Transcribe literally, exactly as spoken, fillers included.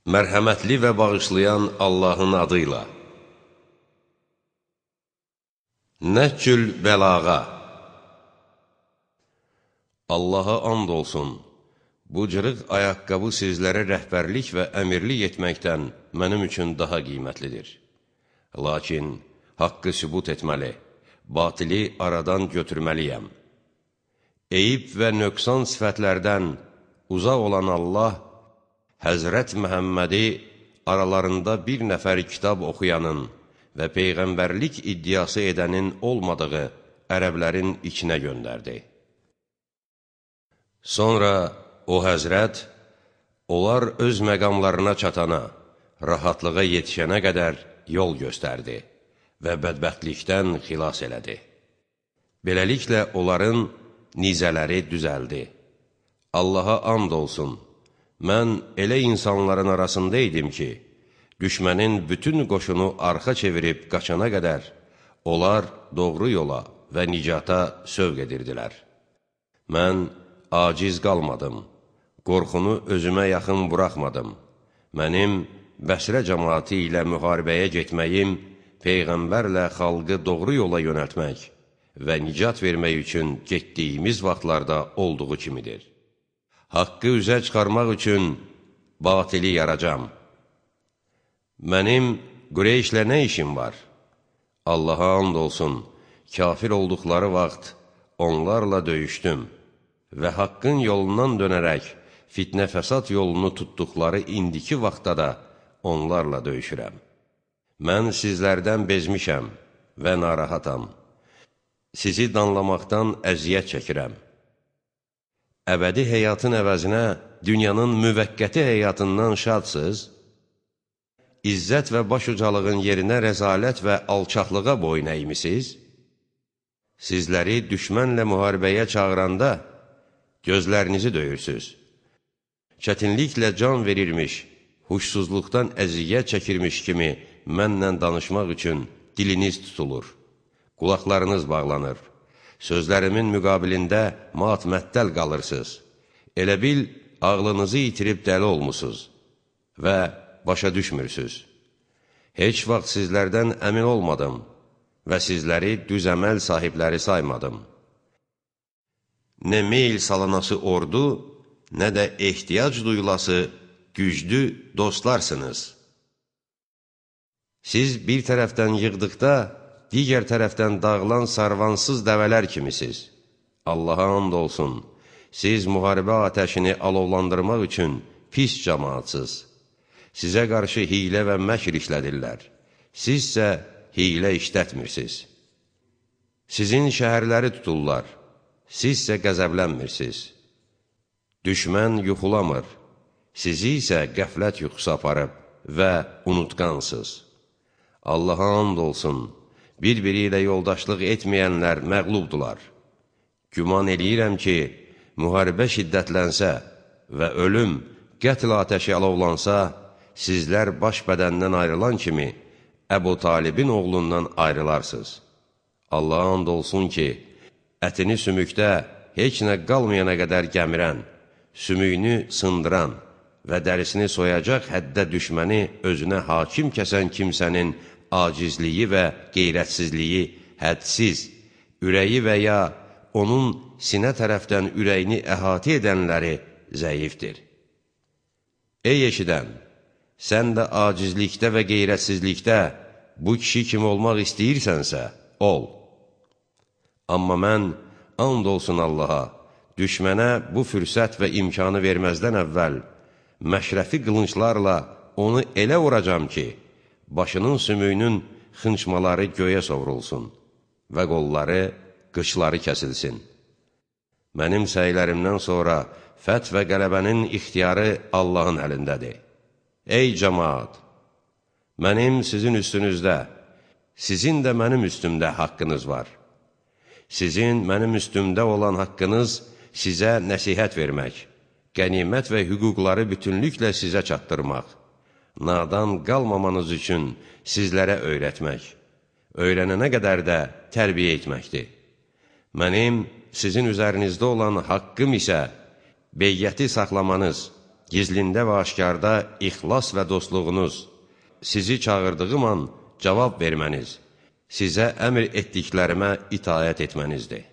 Mərhəmətli və bağışlayan Allahın adıyla. Nəhcül bəlağa. Allaha and olsun, bu cırıq ayaqqabı sizlərə rəhbərlik və əmirlik etməkdən mənim üçün daha qiymətlidir. Lakin haqqı sübut etməli, batili aradan götürməliyəm. Eyib və nöqsan sifətlərdən uzaq olan Allah, Həzrət Məhəmmədi aralarında bir nəfər kitab oxuyanın və peyğəmbərlik iddiası edənin olmadığı ərəblərin içinə göndərdi. Sonra o Həzrət, onlar öz məqamlarına çatana, rahatlığa yetişənə qədər yol göstərdi və bədbəxtlikdən xilas elədi. Beləliklə onların nizələri düzəldi. Allaha and olsun, mən elə insanların arasında idim ki, düşmənin bütün qoşunu arxa çevirib qaçana qədər, onlar doğru yola və nicata sövq edirdilər. Mən aciz qalmadım, qorxunu özümə yaxın buraxmadım. Mənim Bəsrə cəmaati ilə müharibəyə getməyim, Peyğəmbərlə xalqı doğru yola yönəltmək və nicat vermək üçün getdiyimiz vaxtlarda olduğu kimidir. Haqqı üzə çıxarmaq üçün batili yaracam. Mənim Qureyşlə nə işim var? Allaha and olsun, kafir olduqları vaxt onlarla döyüşdüm və haqqın yolundan dönərək fitnə fəsad yolunu tutduqları indiki vaxtda da onlarla döyüşürəm. Mən sizlərdən bezmişəm və narahatam. Sizi danlamaqdan əziyyət çəkirəm. Əbədi həyatın əvəzinə dünyanın müvəqqəti həyatından şadsız, İzzət və başucalığın yerinə rəzalət və alçaqlığa boyun əymisiz? Sizləri düşmənlə müharibəyə çağıranda gözlərinizi döyürsüz. Çətinliklə can verirmiş, huşsuzluqdan əziyyət çəkirmiş kimi mənlə danışmaq üçün diliniz tutulur, qulaqlarınız bağlanır. Sözlərimin müqabilində mat-məttəl qalırsınız. Elə bil, ağlınızı itirib dəli olmusunuz və başa düşmürsünüz. Heç vaxt sizlərdən əmin olmadım və sizləri düz əməl sahibləri saymadım. Nə meyl salanası ordu, nə də ehtiyac duyulası güclü dostlarsınız. Siz bir tərəfdən yığdıqda, digər tərəfdən dağılan sarvansız dəvələr kimisiniz. Allaha and olsun, siz müharibə atəşini alovlandırmaq üçün pis cəmaatsız. Sizə qarşı hiylə və məkr işlədirlər. Sizsə hiylə işlətmirsiniz. Sizin şəhərləri tuturlar, sizsə qəzəblənmirsiniz. Düşmən yuxulamır, sizi isə qəflət yuxusu aparıb və unutqansız. Allaha and olsun, bir-biri ilə yoldaşlıq etməyənlər məğlubdular. Güman eləyirəm ki, müharibə şiddətlənsə və ölüm, qətl atəşi alovlansa, sizlər baş bədəndən ayrılan kimi Əbu Talibin oğlundan ayrılarsınız. Allaha and olsun ki, ətini sümükdə heç nə qalmayana qədər gəmirən, sümüyünü sındıran və dərisini soyacaq həddə düşməni özünə hakim kəsən kimsənin acizliyi və qeyrətsizliyi hədsiz, ürəyi və ya onun sinə tərəfdən ürəyini əhatə edənləri zəifdir. Ey eşidən, sən də acizlikdə və qeyrətsizlikdə bu kişi kimi olmaq istəyirsənsə, ol. Amma mən, and olsun Allaha, düşmənə bu fürsət və imkanı verməzdən əvvəl, məşrəfi qılınçlarla onu elə vuracam ki, başının sümüyünün xınçmaları göyə sovrulsun və qolları, qıçları kəsilsin. Mənim səylərimdən sonra fəth və qələbənin ixtiyarı Allahın əlindədir. Ey cəmaat! Mənim sizin üstünüzdə, sizin də mənim üstümdə haqqınız var. Sizin mənim üstümdə olan haqqınız sizə nəsihət vermək, qənimət və hüquqları bütünlüklə sizə çatdırmaq, nadan qalmamanız üçün sizlərə öyrətmək, öyrənənə qədər də tərbiyə etməkdir. Mənim sizin üzərinizdə olan haqqım isə beyyəti saxlamanız, gizlində və aşkarda ixlas və dostluğunuz, sizi çağırdığım an cavab verməniz, sizə əmr etdiklərimə itaət etmənizdir.